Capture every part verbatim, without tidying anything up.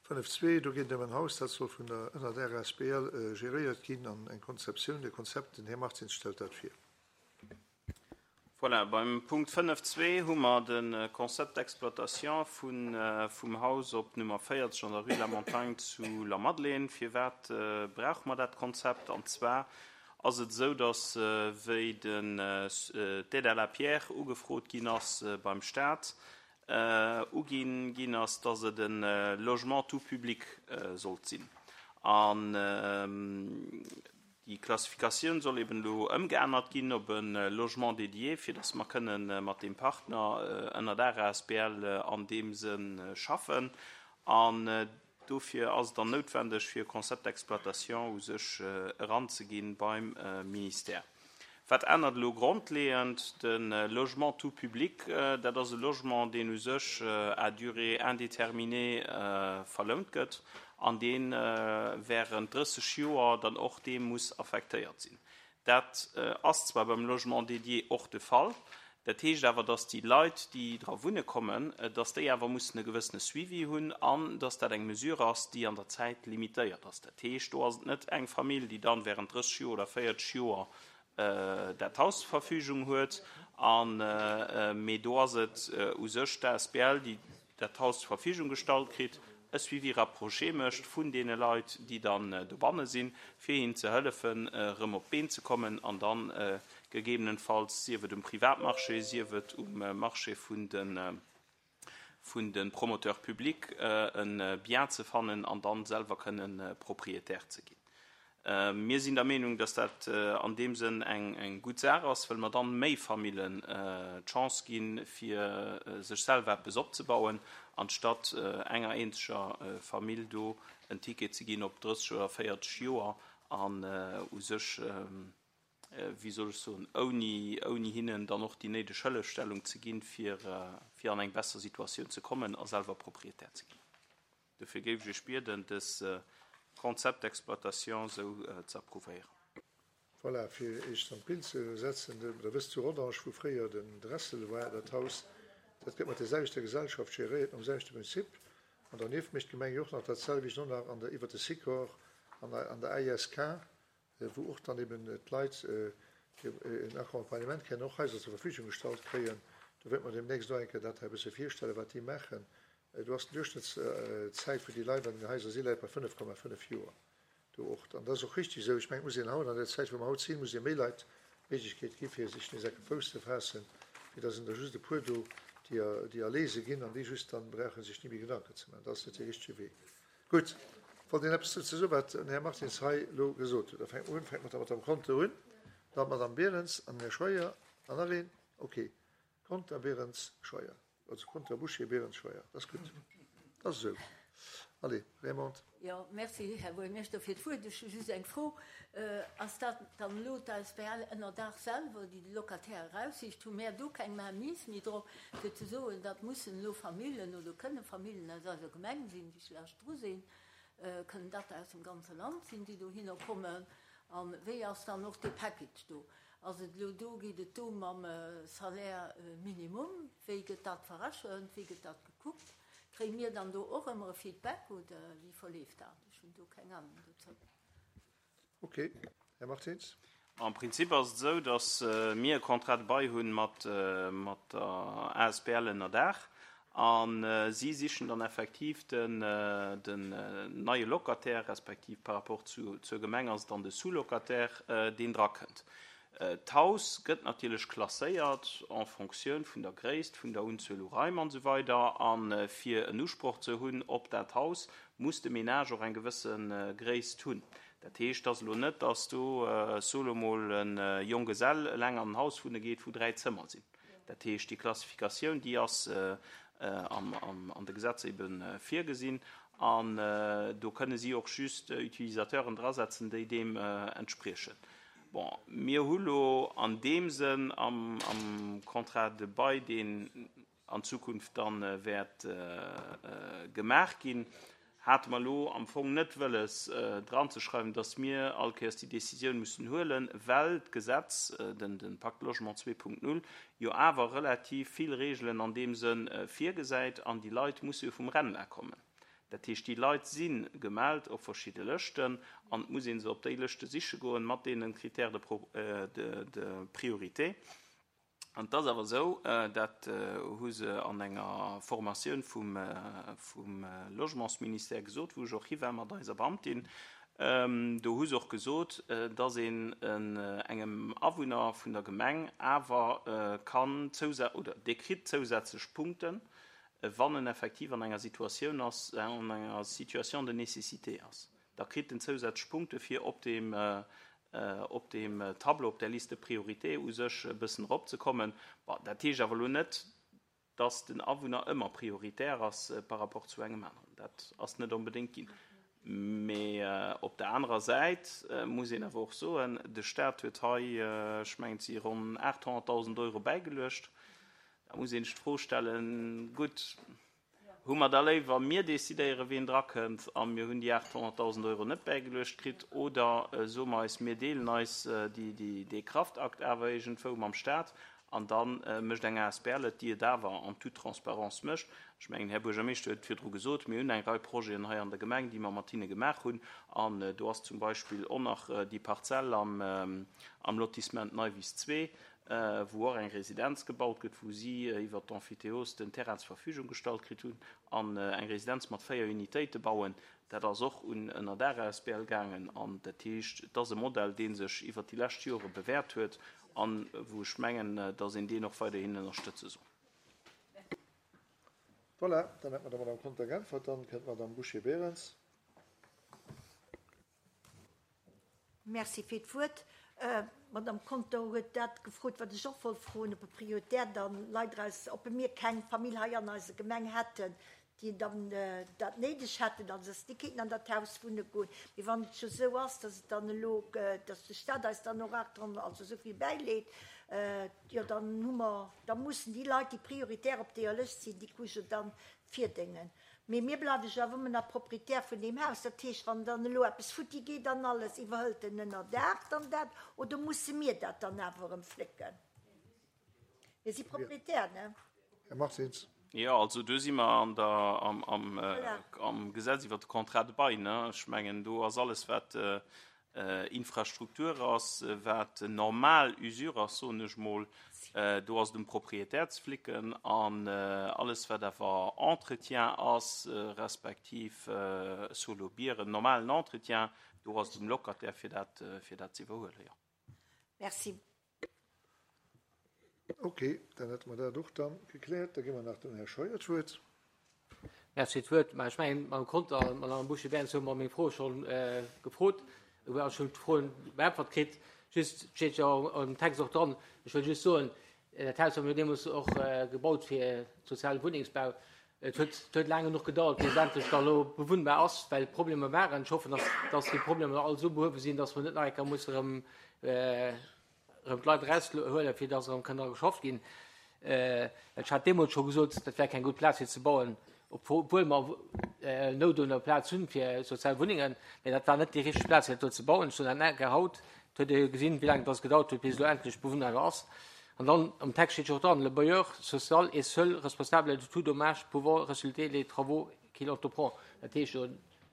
Fënnef zwee, do geet et ëm en Haus, dat soll vun der, ënner der asbl geréiert ginn an eng Konzeptioun, de Konzept, den Här Martins stellt dat vir. Voilà, beim Punkt fënnef zwee hu mer de Concept d'exploitation vun, vum Haus op Nummer véierzeg an der Rue de la Montagne zu Lamadelaine. Firwat brauche mer dat Konzept? An zwar ass et esou, dass, wéi den, d'Aide à la pierre ugefrot ginn ass beim Stat, uginn ginn ass, dass et e Logement tout public sollt sinn. An déi Klassifikatioun soll eben elo ëmgeännert ginn op e Logement dédié, fir dass mer kënnen mat deem Partner ënner der asbl an deem Sënn schaffen. An dofir ass et dann noutwendeg, fir e Concept d'exploitation u sech eranzeginn beim Ministère. Wat ännert elo grondleeënd? De Logement tout public, dat ass e Logement, deen u sech à durée indéterminée verlount gëtt an dee während drësseg Joer dann och deem muss affektéiert sinn. Dat ass zwar beim Logement dédié och de Fall, dat heescht awer, dass déi Leit, déi dra wunne kommen, dass déi awer mussen e gewëssene Suivi hunn an dass dat eng Mesure ass, déi an der Zäit limitéiert ass. Dat heescht, do ass et net eng Famill, déi dann während drësseg Joer oder véierzeg Joer dat Haus zur Verfügung huet, an mee do ass et u sech d'A S B L, déi dat Haus zur Verfügung gestallt kritt, e Suivi rapproché mécht vun deene Leit, déi dann dobanne sinn, fir hinnen ze hëllefen, erëm op d'Been ze kommen an dann gegebenenfalls, sief et um Privatmarché, sief et um Marché vun de vun de Promoteurs publics, e Bien ze fannen an dann selwer kënnen Propriétaire ze ginn. Mir sinn der Meenung, dass dat an deem Sënn eng eng gutt Saach ass, well mer dann méi Famillen d'Chance ginn, fir sech selwer eppes opzebauen, anstatt enger eenzeger Famill do en Ticket ze ginn op drësseg oder véierzeg Joer an u sech, wéi soll ech soen, ouni ouni hinnen dann och déi néideg Hëllefstellung ze ginn, fir fir an eng besser Situatioun ze kommen a selwer Propriétaire ze ginn. Dofir géif ech iech bieden, dës Concept d'exploitation esou ze approuvéieren. Voilà, fir Iech an d'Bild ze setzen, Der wësst, zu Rodange, wou fréier den Dressel war, dat Haus, dat gëtt mat der selwechter Gesellschaft geréiert, nom selwechte Prinzip. An dernieft mécht d'Gemeng jo och nach dat selwecht och nach an der, iwwert de Sikor an der, an der A I S K, wou och dann eben d'Leit en Accompagnement kréien, och Haiser zur Verfügung gestallt kréien. Do wäerte mer deemnächst och eng Kéier dat hei e bësse virstellen, wat déi maachen. Do ass d'Duerchschnëttszäit, wou déi Leit an den Haiser si läit bei fënnef Komma fënnef Joer. Do och, an dat ass och richtig esou. Ech mengen, et muss een haut an der Zäit, wou mer haut sinn, muss ee méi Leit d'Méiglechkeet gi fir sech nees enke Fouss ze faassen, wéi dass en der just e puer do, déi, déi erlese ginn an déi just dann brauche sech ni méi Gedanken ze maachen. Dat ass net dee richtege Wee. Gutt, wollt een eppes dozou soen, wat den Här Martins hei elo gesot huet? Da fänke mer un, fänke mat der Madame Conter un, dann d'Madame Berens an den Här Scheuer an nach een. Okay, Conter, Berens, Scheuer. Also Conter, Bouché, Berens, Scheuer. Dat ass gutt. Dat ass esou. Allez, Raymond. Jo, merci, Här Buergermeeschter, fir d'Wuert. Ech hu just eng Fro. Ass dat dann elo d'A S B L ënnerdaach selwer, déi de Locataire eraussicht? Hu mär do keng Mainmise méi drop, fir ze soen, dat mussen elo Famillen oder kënne Famillen aus eiser Gemeng sinn, déi schlecht dru sinn? Kënnen dat aus dem ganze Land sinn, déi dohinner kommen? A wéi ass dann och de Package do? Ass et elo do, geet et do mam Salaire minimum? Wéi gëtt dat verrechent? Wéi gëtt dat gekuckt? Kréie mir dann do och ëmmer e Feedback oder wéi verleeft dat? Ech hunn do keng Anung dozou. Okay, Här Martins. Am Prinzip ass et esou, datt mir e Contrat de bail hunn mat mat der A S B L ënnerdaach a si sichen dann effektiv den den neie Locataire, respektiv par rapport zu zur Gemeng ass et dann de Sous-locataire, deen drakënnt. D'Haus gëtt natierlech klasséiert en Fonctioun vun der Gréisst, vun der Unzuel u Raim an esou weider. A fir en Usproch ze hunn op dat Haus, muss de Ménage och eng gewësse Gréisst hunn. Dat heescht, et ass elo net, datt do, soe lo mol, e Jonggesell eleng an en Haus wunne geet, wou dräi Zëmmer sinn. Dat heescht, déi Klassifikatioun, déi ass an de Gesetzer ebe virgesinn an do kënne si och just Utilisateuren drasetzen, déi deem entspriechen. Bon, mir hu lo an deem Sënn am Contrat de bail, deen an Zukunft dann wäert gemaach ginn, hate mer elo am Fong net wëlles dranzeschreiwen, datt mir all Kéiers déi Decisioun mussen huelen, well d'Gesetz, den Pacte Logement zwee Punkt null, jo awer relativ vill Reegelen an deem Sënn virgesäit an déi Leit musse jo vum RENLA kommen. Dat heescht, déi Leit si gemellt op verschidde Lëschten an et muss ee se op déi Lëschte siche goen mat deene Critères de, de, de priorité. An et ass awer esou, dat hu se an enger Formatioun vum, vum Logementsministère gesot, wou ech och hi war mat eiser Beamtin, do hu se och gesot, dass een engem Awunner vun der Gemeng awer kann zousä-, oder dee kritt zousätzlech Punkten, wann en effektiv an enger Situatioun ass, an enger Situation de nécessité ass. Da kritt en zousätzlech Punkte fir op deem, op deem Tableau, op där Liste de priorité u sech e bëssen eropzekommen. Bon, dat heescht awer elo net, dass den Awunner ëmmer prioritär ass par rapport zu engem aneren. Dat ass net onbedéngt ginn. Mee op der anerer Säit muss een awer och soen, de Staat huet hei, ech mengen et si ronn aacht honnertdausend Euro bäigeluecht. Da muss een sech d'Fro stellen, gutt, hu mer da léiwer, mir decidéieren, wien drakënnt, a mir hunn déi aacht honnertdausend Euro net bäigeluecht kritt, oder soe mer eis, mir deelen eis dee Kraftakt awer iergendwou mam Staat an da mécht eng A S B L et, déi et awer en toute transparence mécht. Ech mengen, Här Buergermeeschter huet virdru gesot, mir hunn eng Rei Projeten hei an der Gemeng, déi mer mat hinne gemaach hunn, an do ass zum Beispill och nach déi Parzell am Lotissement Neiwiss zwee, wou och eng Residenz gebaut gëtt, wou si iwwert d'Emphytéose den Terrain zur Verfügung gestallt kritt hunn an eng Residenz mat véier Unitéite bauen. Dat ass och un Ënnerdaach A S B L gaangen an dat heescht, et ass e Modell, dee sech iwwert déi lescht Jore bewäert huet an wou ech mengen, datt een deen och weiderhin ënnerstëtze soll. Voilà, dann hätt mer der Madame Conter geäntwert. Dann kënnt d'Madame Bouché-Berens. Merci fir d'Wuert. D'Madame Conter huet dat gefrot, wat ech och wollt froen, ob e prioritär dann Leit eraus, ob mir keng Famill hei an eiser Gemeng hätten, déi dann dat néideg hätten, also dass déi kéinten an dat Haus wunne goen. Mee wann et scho sou ass, dass et dann elo, dass de Staat eis dann och achthonnert, also esou vill bäileet, jo dann hu mer, da mussen déi Leit, déi prioritär op deeër Lëscht sinn, déi Couche dann virdéngen. Mee mir bleiwe jo awer ëmmer nach Proprietär vun deem Haus. Dat heescht, wann dann elo eppes futti geet an alles, iwwerhëlt den Ënnerdaach dann dat oder musse mir dat dann awer erëm flécken? Mir si Proprietär, ne? Här Martins. Jo, also do si mer an der, am, am, am Gesetz iwwer de Contrat de bail, ne? Ech mengen, do ass alles, wat Infrastruktur ass, wat normal Usure ass, soen ech mol, do ass et um Proprietär ze flicken an alles, wat awer Entretien ass, respektiv solo Bieren, normalen Entretien, do ass et um Locataire, fir dat, fir dat ze iwwerhuelen, jo. Merci. Ok, dann hätte mer dat och dann gekläert. Da gi mer nach dem Här Scheuer d'Wuert. Merci fir d'Wuert. Mä ech mengen, mam Conter an mam Bouché-Berens hu mer meng Fro schonn gefrot. Ech hu schonn d'Froen beäntwert kritt. Just steet jo am Text och dran. Ech wëll just soen, dat Haus hu mir deemools och gebaut fir soziale Wunnengsbau. Et huet, et huet laang genuch gedauert, bis et endlech da elo bewunnbar ass, well Problemer waren. Ech hoffen, dass, dass déi Problemer all esou behuewe sinn, dass mer net nach eng Kéier musse erëm, erëm d'Leit eraushuelen, fir dass erëm kënn dra geschafft ginn. Ech hat deemools scho gesot, dat wär keng gutt Plaz fir ze bauen, obwuel mer Nout un der Plaz hunn fir sozial Wunnengen, mee dat war net déi richteg Plaz fir dat do ze bauen. Ech soen dat enker haut, et huet ee jo gesinn, wéi laang dass gedauert huet, bis et elo endlech bewunnbar ass. An dann am Text steet jo och dran, Le bailleur social est seul responsable de tout dommage pouvant résulter des travaux qu'il entreprend. Dat heescht jo,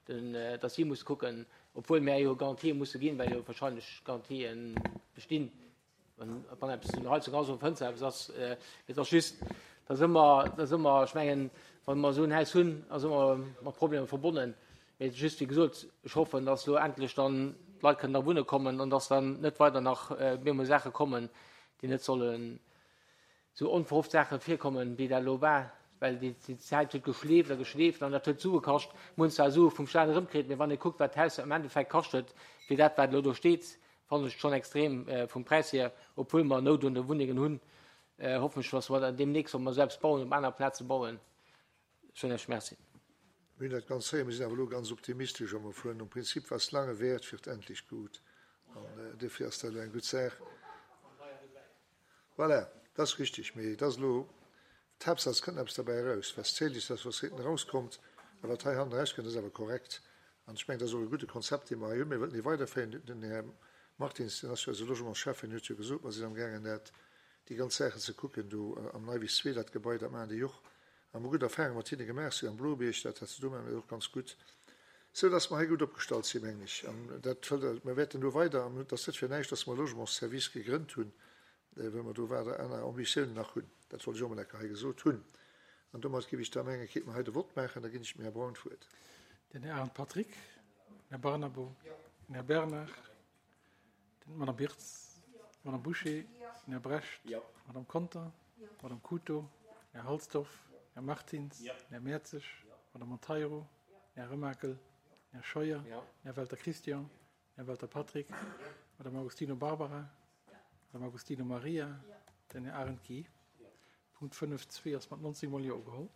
den, dass si muss kucken, obwuel mär jo Garantië musse ginn, well jo wahrscheinlech Garantien bestinn, wann, wann eppes un der Heizung ass oder um Fënster eppes ass. Et ass just, dass ëmmer, dass ëmmer, ech mengen, wann mer esou en Haus hunn, ass ëmmer mat Problemer verbonnen. Mee just, wéi gesot, ech hoffen, dass elo endlech dann d'Leit kënnen da wunne kommen an dass dann net weider nach méi Saache kommen, déi net sollen esou onverhofft Saache virkommen, wéi dat elo war, well déi Zäit huet geschleeft a geschleeft an dat huet Sue kascht. Mir hunn zwar Sue vum Staat erëmkritt, mee wann ee kuckt, wat d'Haus am Endeffekt kascht huet, fir dat, wat elo do steet, fannen ech schonn extrem vum Präis hier, obwuel mer Nout un de Wunnengen hunn. Hoffen ech, dass mer dann deemnächst, wa mer selbst bauen, op aner Plaze bauen. Soen ech Merci. Mir hunn dat ganz héieren, mir sinn awer elo ganz optimistesch a mer fueren nom Prinzip, was lange währt, wird endlich gut. An dofir ass dat elo eng gutt Saach. Voilà, dat ass richtig, mee dat ass elo d'Haaptsaach, es kënnt eppes derbäi eraus. Was zählt, ist das, was hinten rauskommt. A wat hei hannen erauskënnt, ass awer korrekt. An ech mengen, dat ass och e gudde Konzept, dee mer hei hunn. Mir wëllen dee weiderféieren. Den Här Martins, deen ass jo eise Logementschäffen, huet jo gesot, mer sinn amgaangen, dat déi ganz Saachen ze kucken do am Neiwiss zwee, dat Gebai, dat maachen déi och A mer gutt Erfahrunge mat hinne gemaach, si am Blobierg, dat hat se do maache mir och ganz gutt, sou dass mer hei gutt opgestallt sinn, mengen ech. An dat wëll, mer wäerten do weider, an et ass net fir näischt, dass mer e Logementsservice gegrënnt hunn, well mer do weider aner Ambitiounen nach hunn. Dat wollt ech och emol eng Kéier hei gesot hunn. An domat géif ech da mengen, kéinte mer hei de Vott maachen. Da ginn ech dem Här Braun d'Wuert. Den Här Arendt Patrick, den Här Barnabo, den Här Bernard, d'Madame Birtz, d'Madame Bouché, den Här Brecht, d'Madame Conter, d'Madame Couto, den Här Halsdorf, den Här Martins, den Här Mertzig, d'Madame Monteiro, den Här Remakel, den Här Scheuer, den Här Welter Christian, den Här Welter Patrick, d'Madame Agostino Barbara, d'Madame Agostino Maria, den Här Arendt Guy. Punkt fënnef zwee ass mat neunzeg Mol Jo ugeholl.